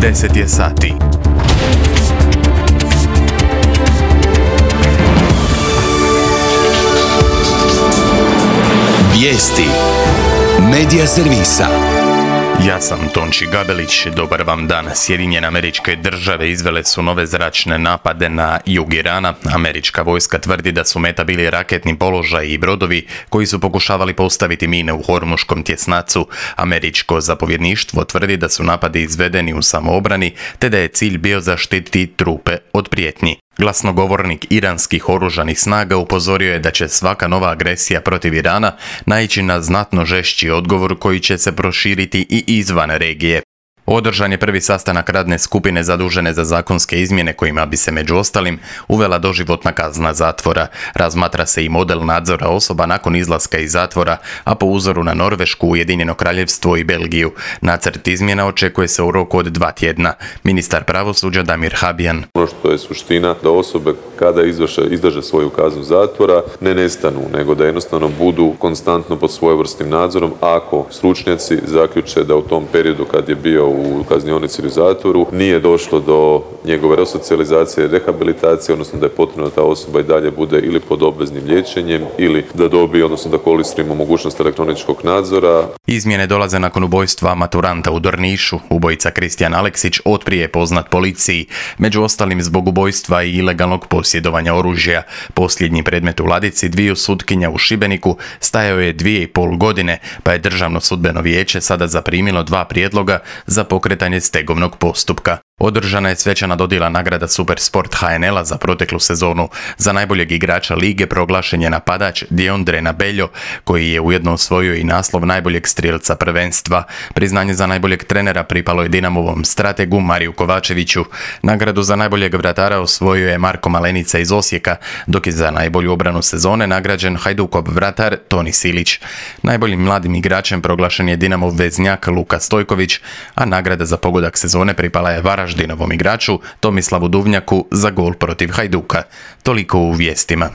10 je sati. Vijesti Medija servisa. Ja sam Tonči Gabelić, dobar vam dan. Sjedinjene Američke Države izvele su nove zračne napade na jug Irana. Američka vojska tvrdi da su meta bili raketni položaji i brodovi koji su pokušavali postaviti mine u Hormuškom tjesnacu. Američko zapovjedništvo tvrdi da su napadi izvedeni u samoobrani, te da je cilj bio zaštititi trupe od prijetnji. Glasnogovornik iranskih oružanih snaga upozorio je da će svaka nova agresija protiv Irana naići na znatno žešći odgovor koji će se proširiti i izvan regije. Održan je prvi sastanak radne skupine zadužene za zakonske izmjene kojima bi se među ostalim uvela doživotna kazna zatvora. Razmatra se i model nadzora osoba nakon izlaska iz zatvora, a po uzoru na Norvešku, Ujedinjeno Kraljevstvo i Belgiju. Nacrt izmjena očekuje se u roku od 2 tjedna. Ministar pravosuđa Damir Habjan. Ono što je suština da osobe kada izdrže svoju kaznu zatvora ne nestanu, nego da jednostavno budu konstantno pod svojevrsnim nadzorom ako stručnjaci zaključe da u tom periodu kad je bio u kaznionici ili u zatvoru nije došlo do njegove resocijalizacije, rehabilitacije, odnosno da je potrebno da ta osoba i dalje bude ili pod obveznim liječenjem ili da dobije, odnosno da koristimo mogućnost elektroničkog nadzora. Izmjene dolaze nakon ubojstva maturanta u Drnišu. Ubojica Kristijan Aleksić otprije je poznat policiji, među ostalim zbog ubojstva i ilegalnog posjedovanja oružja. Posljednji predmet u ladici dviju sutkinja u Šibeniku stajao je 2,5 godine, pa je Državno sudbeno vijeće sada zaprimilo 2 prijedloga za pokretanje stegovnog postupka. Održana je svečana dodjela nagrada Supersport HNL-a za proteklu sezonu. Za najboljeg igrača lige proglašen je napadač Diondre Nabeljo, koji je ujedno osvojio i naslov najboljeg strijelca prvenstva. Priznanje za najboljeg trenera pripalo je Dinamovom strategu Mariju Kovačeviću. Nagradu za najboljeg vratara osvojio je Marko Malenica iz Osijeka, dok je za najbolju obranu sezone nagrađen Hajdukov vratar Toni Silić. Najboljim mladim igračem proglašen je Dinamov veznjak Luka Stojković, a nagrada za pogodak sezone pripala je Varaždinovom igraču Tomislavu Duvnjaku za gol protiv Hajduka. Toliko u vijestima.